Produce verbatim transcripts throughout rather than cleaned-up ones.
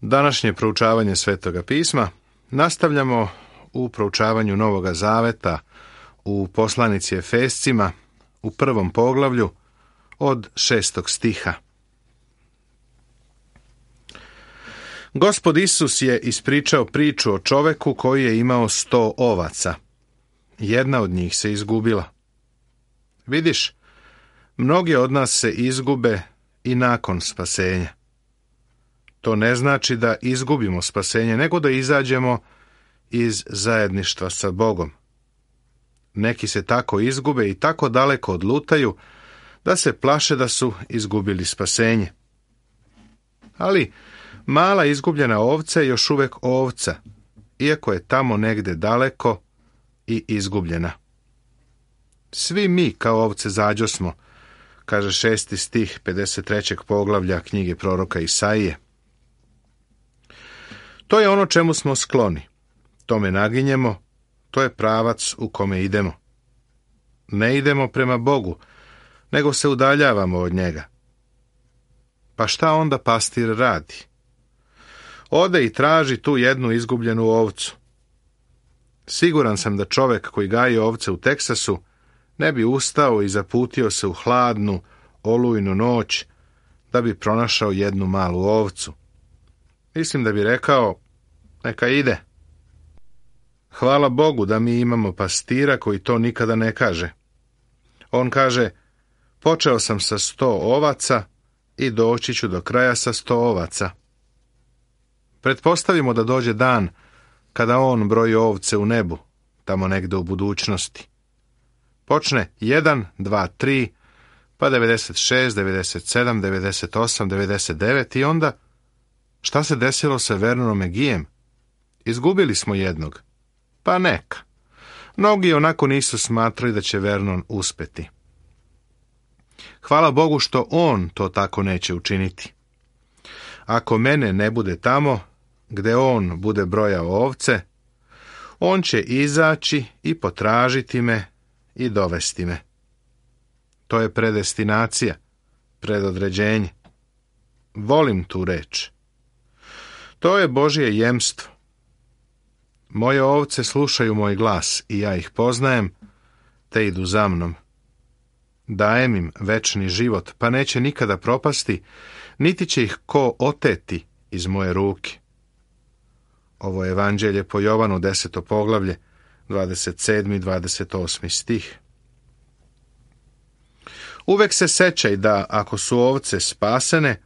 Današnje proučavanje Svetoga pisma nastavljamo u proučavanju Novoga Zaveta u poslanici Efescima u prvom poglavlju od šestog stiha. Gospod Isus je ispričao priču o čoveku koji je imao sto ovaca. Jedna od njih se izgubila. Vidiš, mnogi od nas se izgube i nakon spasenja. To ne znači da izgubimo spasenje, nego da izađemo iz zajedništva sa Bogom. Neki se tako izgube i tako daleko odlutaju da se plaše da su izgubili spasenje. Ali mala izgubljena ovca je još uvijek ovca, iako je tamo negde daleko i izgubljena. Svi mi kao ovce zađosmo, kaže šesti stih pedeset trećeg poglavlja knjige proroka Isaije. To je ono čemu smo skloni, tome naginjemo, to je pravac u kome idemo. Ne idemo prema Bogu, nego se udaljavamo od njega. Pa šta onda pastir radi? Ode i traži tu jednu izgubljenu ovcu. Siguran sam da čovjek koji gaji ovce u Teksasu ne bi ustao i zaputio se u hladnu, olujnu noć da bi pronašao jednu malu ovcu. Mislim da bi rekao, neka ide. Hvala Bogu da mi imamo pastira koji to nikada ne kaže. On kaže, počeo sam sa sto ovaca i doći ću do kraja sa sto ovaca. Pretpostavimo da dođe dan kada on broji ovce u nebu, tamo negde u budućnosti. Počne jedan, dva, tri, pa devedeset šest, devedeset sedam, devedeset osam, devedeset devet i onda šta se desilo sa Vernonom McGeeem? Izgubili smo jednog. Pa neka. Mnogi onako nisu smatrali da će Vernon uspeti. Hvala Bogu što on to tako neće učiniti. Ako mene ne bude tamo, gde on bude brojao ovce, on će izaći i potražiti me i dovesti me. To je predestinacija, predodređenje. Volim tu reč. To je Božje jemstvo. Moje ovce slušaju moj glas i ja ih poznajem, te idu za mnom. Dajem im večni život, pa neće nikada propasti, niti će ih ko oteti iz moje ruke. Ovo je evanđelje po Jovanu, deseto poglavlje, dvadeset sedmi i dvadeset osmi stih. Uvek se sećaj da ako su ovce spasene,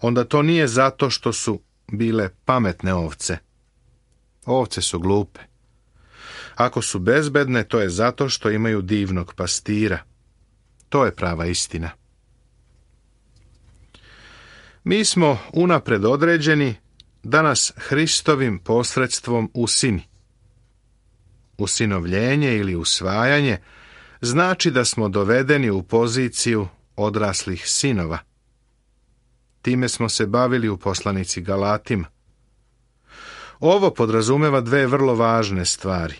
onda to nije zato što su bile pametne ovce. Ovce su glupe. Ako su bezbedne, to je zato što imaju divnog pastira. To je prava istina. Mi smo unapred određeni da nas Hristovim posredstvom usini. Usinovljenje ili usvajanje znači da smo dovedeni u poziciju odraslih sinova. Time smo se bavili u poslanici Galatima. Ovo podrazumeva dve vrlo važne stvari.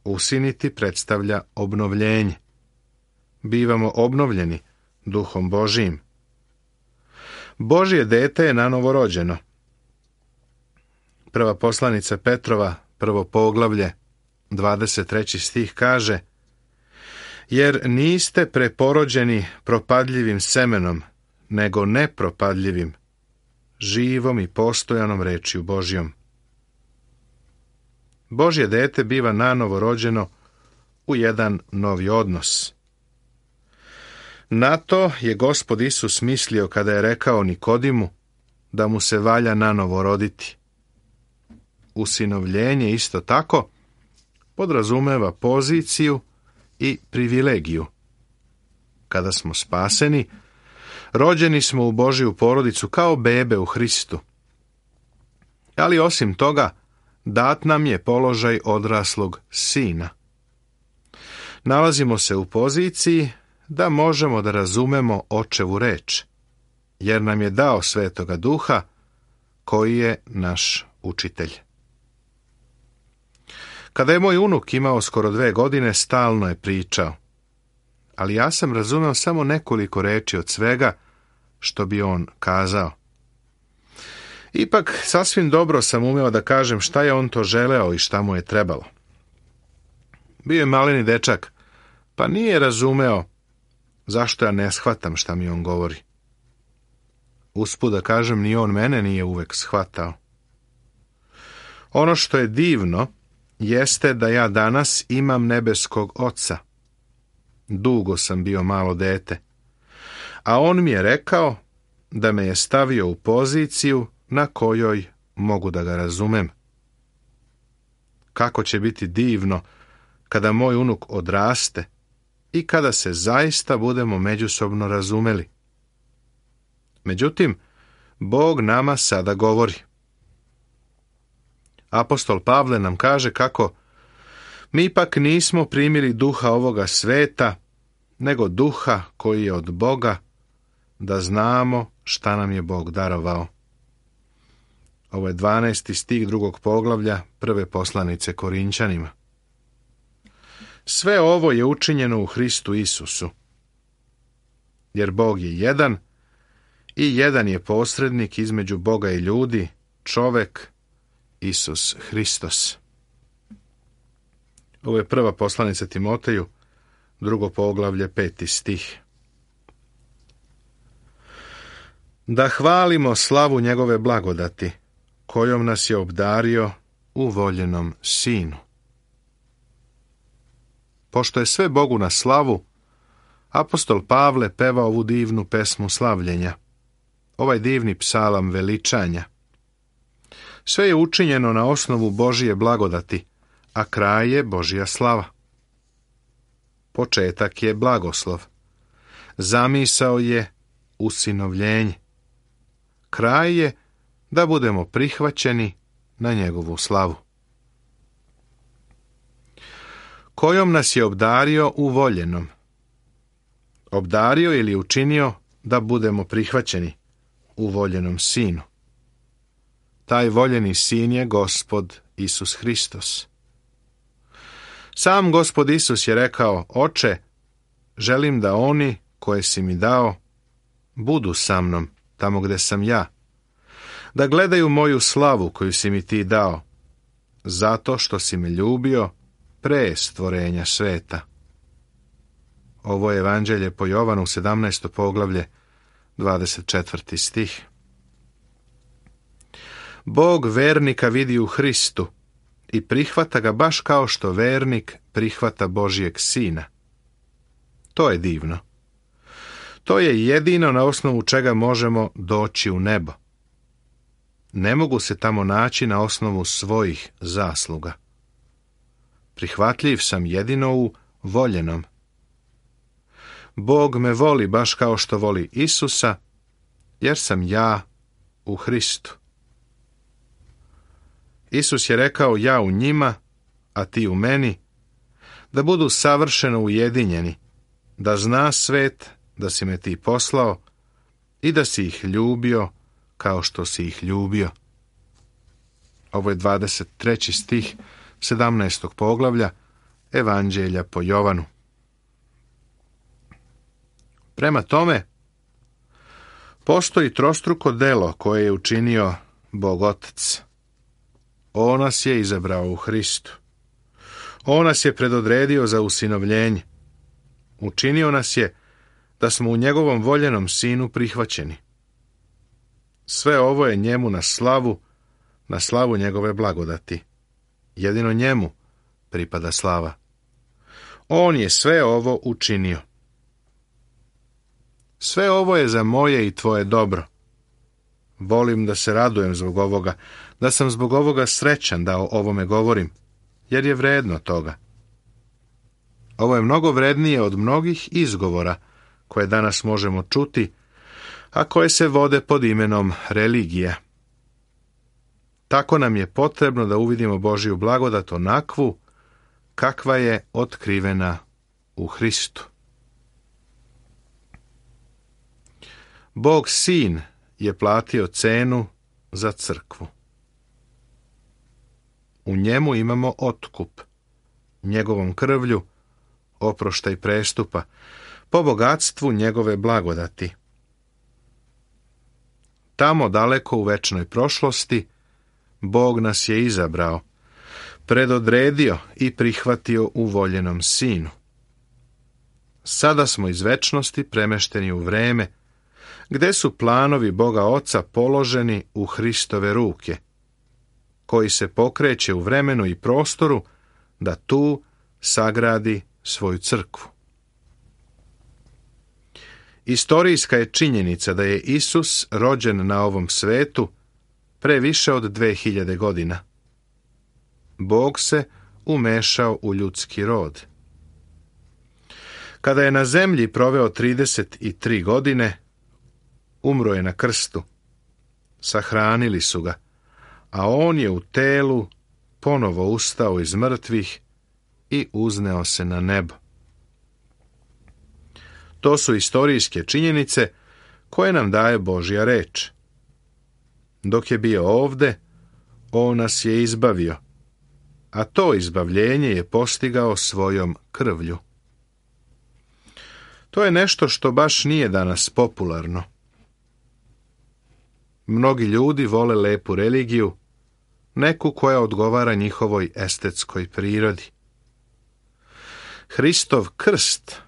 Usiniti predstavlja obnovljenje. Bivamo obnovljeni Duhom Božijim. Božje dete je nanovo rođeno. Prva poslanica Petrova, prvo poglavlje, dvadeset treći stih kaže: jer niste preporođeni propadljivim semenom, nego nepropadljivim, živom i postojanom rečju Božjom. Božje dete biva nanovo rođeno u jedan novi odnos. Na to je Gospod Isus mislio kada je rekao Nikodimu da mu se valja nanovo roditi. Usinovljenje isto tako podrazumeva poziciju i privilegiju. Kada smo spaseni, rođeni smo u Božju porodicu kao bebe u Hristu. Ali osim toga, dat nam je položaj odraslog sina. Nalazimo se u poziciji da možemo da razumemo očevu reč, jer nam je dao Svetoga Duha, koji je naš učitelj. Kada je moj unuk imao skoro dve godine, stalno je pričao, ali ja sam razumeo samo nekoliko reči od svega što bi on kazao. Ipak, sasvim dobro sam umeo da kažem šta je on to želeo i šta mu je trebalo. Bio je maleni dečak, pa nije razumeo zašto ja ne shvatam šta mi on govori. Usput da kažem, ni on mene nije uvek shvatao. Ono što je divno jeste da ja danas imam nebeskog oca. Dugo sam bio malo dete, a on mi je rekao da me je stavio u poziciju na kojoj mogu da ga razumem. Kako će biti divno kada moj unuk odraste i kada se zaista budemo međusobno razumeli. Međutim, Bog nama sada govori. Apostol Pavle nam kaže kako mi ipak nismo primili duha ovoga sveta, nego duha koji je od Boga, da znamo šta nam je Bog darovao. Ovo je dvanaesti stih drugog poglavlja prve poslanice Korinćanima. Sve ovo je učinjeno u Hristu Isusu, jer Bog je jedan i jedan je posrednik između Boga i ljudi, čovek, Isus Hristos. Ovo je prva poslanica Timoteju, drugo poglavlje, peti stih. Da hvalimo slavu njegove blagodati, kojom nas je obdario u voljenom Sinu. Pošto je sve Bogu na slavu, apostol Pavle peva ovu divnu pesmu slavljenja, ovaj divni psalam veličanja. Sve je učinjeno na osnovu Božije blagodati, a kraj je Božja slava. Početak je blagoslov. Zamisao je usinovljenje. Kraj je da budemo prihvaćeni na njegovu slavu. Kojom nas je obdario u voljenom. Obdario ili učinio da budemo prihvaćeni u voljenom Sinu. Taj voljeni Sin je Gospod Isus Hristos. Sam Gospod Isus je rekao: Oče, želim da oni koje si mi dao budu sa mnom tamo gde sam ja, da gledaju moju slavu koju si mi ti dao, zato što si me ljubio pre stvorenja sveta. Ovo je Evanđelje po Jovanu, sedamnaesto poglavlje, dvadeset četvrti stih. Bog vernika vidi u Hristu i prihvata ga baš kao što vernik prihvata Božijeg Sina. To je divno. To je jedino na osnovu čega možemo doći u nebo. Ne mogu se tamo naći na osnovu svojih zasluga. Prihvatljiv sam jedino u voljenom. Bog me voli baš kao što voli Isusa, jer sam ja u Hristu. Isus je rekao: ja u njima, a ti u meni, da budu savršeno ujedinjeni, da zna svet da si me ti poslao i da si ih ljubio kao što si ih ljubio. Ovo je dvadeset treći stih sedamnaestog poglavlja Evanđelja po Jovanu. Prema tome, postoji trostruko delo koje je učinio Bog Otac. On nas je izabrao u Hristu. On nas je predodredio za usinovljenje. Učinio nas je da smo u njegovom voljenom Sinu prihvaćeni. Sve ovo je njemu na slavu, na slavu njegove blagodati. Jedino njemu pripada slava. On je sve ovo učinio. Sve ovo je za moje i tvoje dobro. Volim da se radujem zbog ovoga, da sam zbog ovoga srećan da o ovome govorim, jer je vredno toga. Ovo je mnogo vrednije od mnogih izgovora koje danas možemo čuti, a koje se vode pod imenom religija. Tako nam je potrebno da uvidimo Božju blagodat onakvu kakva je otkrivena u Hristu. Bog Sin je platio cenu za crkvu. U njemu imamo otkup, njegovom krvlju oproštaj prestupa, po bogatstvu njegove blagodati. tamo daleko u večnoj prošlosti, Bog nas je izabrao, predodredio i prihvatio u voljenom Sinu. Sada smo iz večnosti premešteni u vreme, gde su planovi Boga Oca položeni u Hristove ruke, koji se pokreće u vremenu i prostoru da tu sagradi svoju crkvu. Istorijska je činjenica da je Isus rođen na ovom svetu pre više od dve hiljade godina. Bog se umešao u ljudski rod. Kada je na zemlji proveo trideset tri godine, umro je na krstu. Sahranili su ga, a on je u telu ponovo ustao iz mrtvih i uzneo se na nebo. To su istorijske činjenice koje nam daje Božja reč. Dok je bio ovde, on nas je izbavio, a to izbavljenje je postigao svojom krvlju. To je nešto što baš nije danas popularno. Mnogi ljudi vole lepu religiju, neku koja odgovara njihovoj estetskoj prirodi. Hristov krst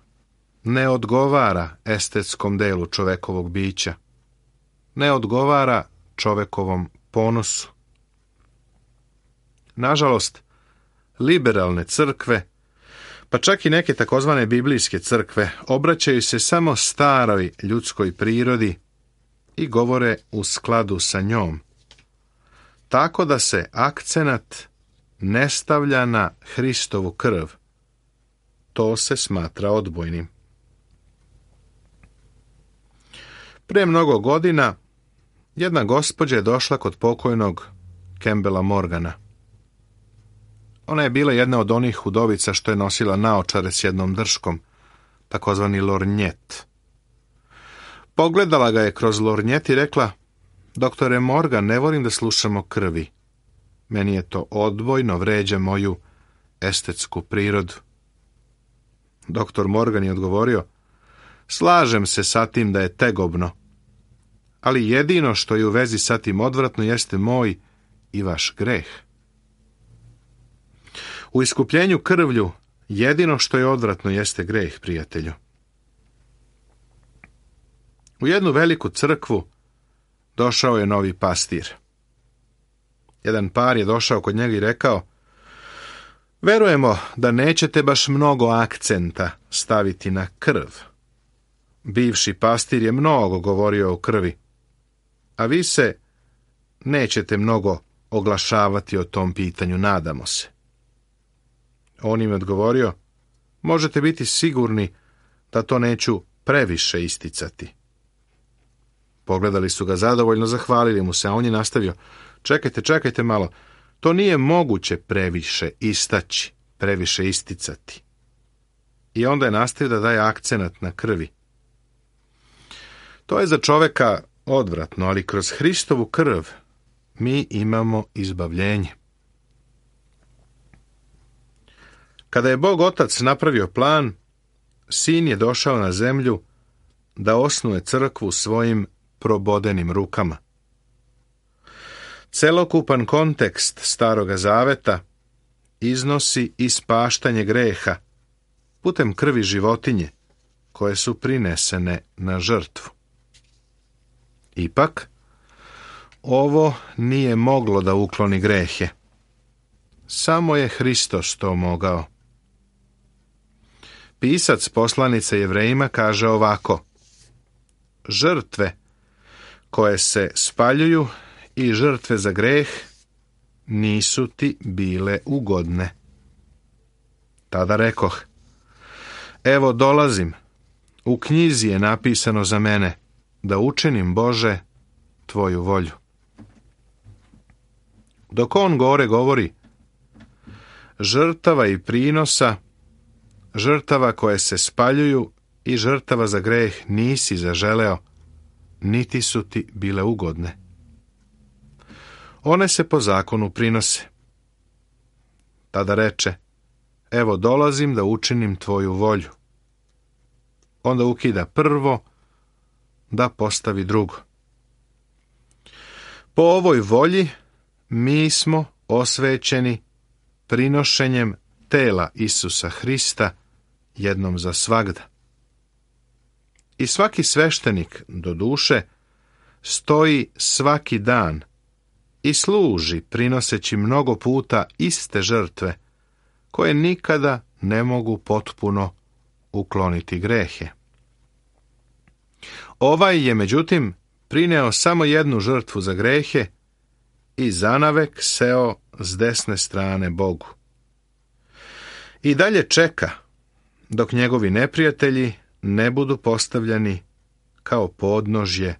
ne odgovara estetskom delu čovekovog bića, ne odgovara čovekovom ponosu. Nažalost, liberalne crkve, pa čak i neke takozvane biblijske crkve, obraćaju se samo staroj ljudskoj prirodi i govore u skladu sa njom, tako da se akcenat ne stavlja na Hristovu krv. To se smatra odbojnim. Pre mnogo godina jedna gospođa je došla kod pokojnog Campbella Morgana. Ona je bila jedna od onih udovica što je nosila naočare s jednom drškom, takozvani lornjet. Pogledala ga je kroz lornjet i rekla: doktore Morgan, ne volim da slušamo krvi. Meni je to odbojno, vređa moju estetsku prirodu. Doktor Morgan je odgovorio: slažem se sa tim da je tegobno, ali jedino što je u vezi sa tim odvratno jeste moj i vaš greh. U iskupljenju krvlju jedino što je odvratno jeste greh, prijatelju. U jednu veliku crkvu došao je novi pastir. Jedan par je došao kod njega i rekao: verujemo da nećete baš mnogo akcenta staviti na krv. Bivši pastir je mnogo govorio o krvi, a vi se nećete mnogo oglašavati o tom pitanju, nadamo se. On im je odgovorio: možete biti sigurni da to neću previše isticati. Pogledali su ga zadovoljno, zahvalili mu se, a on je nastavio: čekajte, čekajte malo, to nije moguće previše istaći, previše isticati. I onda je nastavio da daje akcenat na krvi. To je za čoveka odvratno, ali kroz Hristovu krv mi imamo izbavljenje. Kada je Bog Otac napravio plan, Sin je došao na zemlju da osnuje crkvu svojim probodenim rukama. Celokupan kontekst Staroga Zaveta iznosi ispaštanje greha putem krvi životinje koje su prinesene na žrtvu. Ipak, ovo nije moglo da ukloni grehe. Samo je Hristos to mogao. Pisac poslanice Jevrejima kaže ovako: žrtve koje se spaljuju i žrtve za greh nisu ti bile ugodne. Tada rekoh: evo dolazim, u knjizi je napisano za mene, da učinim, Bože, tvoju volju. Dok on gore govori, žrtava i prinosa, žrtava koje se spaljuju i žrtava za greh nisi zaželeo, niti su ti bile ugodne. One se po zakonu prinose. Tada reče: evo dolazim da učinim tvoju volju. Onda ukida prvo da postavi drugo. Po ovoj volji mi smo osvećeni prinošenjem tela Isusa Hrista jednom za svagda. I svaki sveštenik, do duše, stoji svaki dan i služi prinoseći mnogo puta iste žrtve, koje nikada ne mogu potpuno ukloniti grehe. Ovaj je, međutim, prineo samo jednu žrtvu za grehe i zanavek seo s desne strane Bogu. I dalje čeka, dok njegovi neprijatelji ne budu postavljeni kao podnožje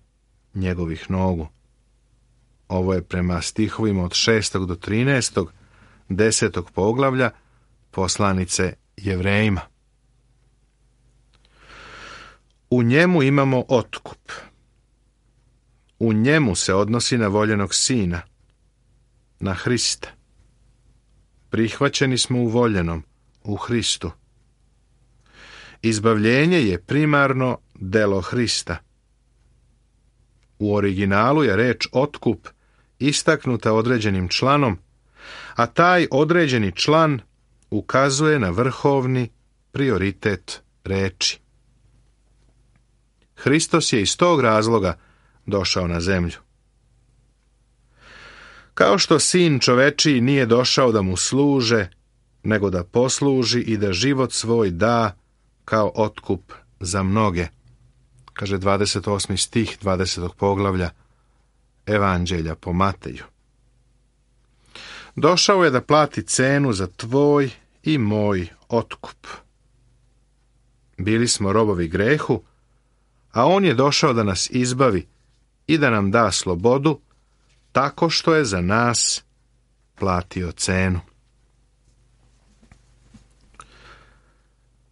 njegovih nogu. Ovo je prema stihovima od šestog do trinaestog, desetog poglavlja poslanice Jevrejima. U njemu imamo otkup. U njemu se odnosi na voljenog sina, na Hrista. Prihvaćeni smo u voljenom, u Hristu. Izbavljenje je primarno delo Hrista. U originalu je reč otkup istaknuta određenim članom, a taj određeni član ukazuje na vrhovni prioritet reči. Hristos je iz tog razloga došao na zemlju. Kao što sin čovečiji nije došao da mu služe, nego da posluži i da život svoj da kao otkup za mnoge, kaže dvadeset osmi stih dvadesetog poglavlja Evanđelja po Mateju. Došao je da plati cenu za tvoj i moj otkup. Bili smo robovi grehu, a on je došao da nas izbavi i da nam da slobodu, tako što je za nas platio cenu.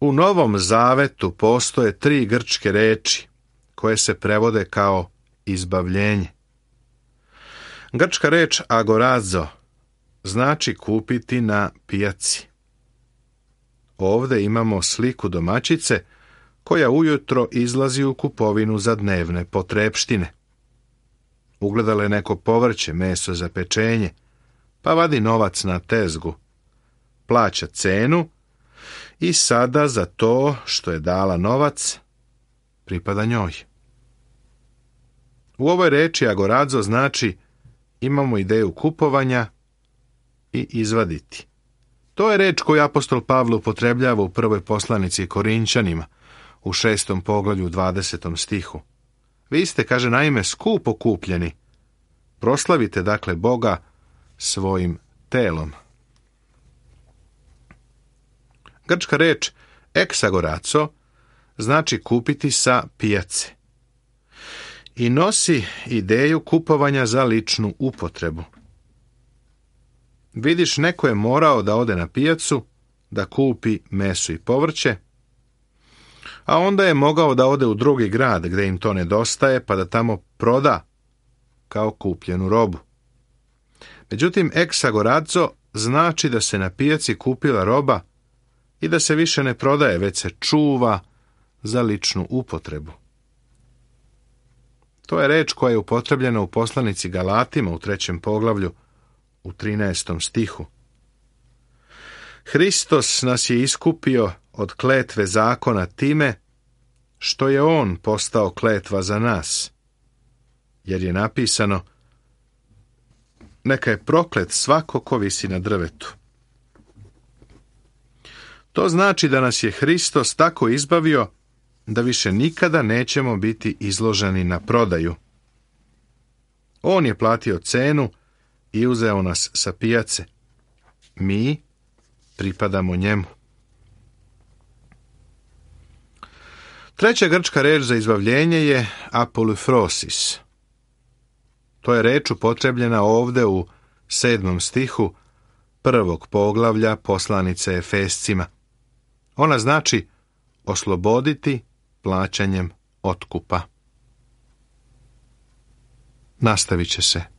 U Novom Zavetu postoje tri grčke reči koje se prevode kao izbavljenje. Grčka reč agorazo znači kupiti na pijaci. Ovdje imamo sliku domaćice koja ujutro izlazi u kupovinu za dnevne potrepštine. Ugledala je neko povrće, meso za pečenje, pa vadi novac na tezgu, plaća cenu i sada za to što je dala novac pripada njoj. U ovoj reči agorazo znači imamo ideju kupovanja i izvaditi. To je reč koju apostol Pavle upotrebljava u prvoj poslanici Korinćanima, u šestom poglavlju dvadesetom stihu. Vi ste, kaže, naime skupo kupljeni. Proslavite, dakle, Boga svojim telom. Grčka reč eksagoraco znači kupiti sa pijace i nosi ideju kupovanja za ličnu upotrebu. Vidiš, neko je morao da ode na pijacu, da kupi meso i povrće, a onda je mogao da ode u drugi grad gdje im to nedostaje, pa da tamo proda kao kupljenu robu. Međutim, eksagorazo znači da se na pijaci kupila roba i da se više ne prodaje, već se čuva za ličnu upotrebu. To je reč koja je upotrebljena u poslanici Galatima u trećem poglavlju u trinaestom stihu. Hristos nas je iskupio od kletve zakona time što je on postao kletva za nas, jer je napisano: neka je proklet svako ko visi na drvetu. To znači da nas je Hristos tako izbavio da više nikada nećemo biti izloženi na prodaju. On je platio cenu i uzeo nas sa pijace. Mi pripadamo njemu. Treća grčka reč za izbavljenje je apolifrosis. To je reč upotrebljena ovdje u sedmom stihu prvog poglavlja poslanice Efescima. Ona znači osloboditi plaćanjem otkupa. Nastavit će se.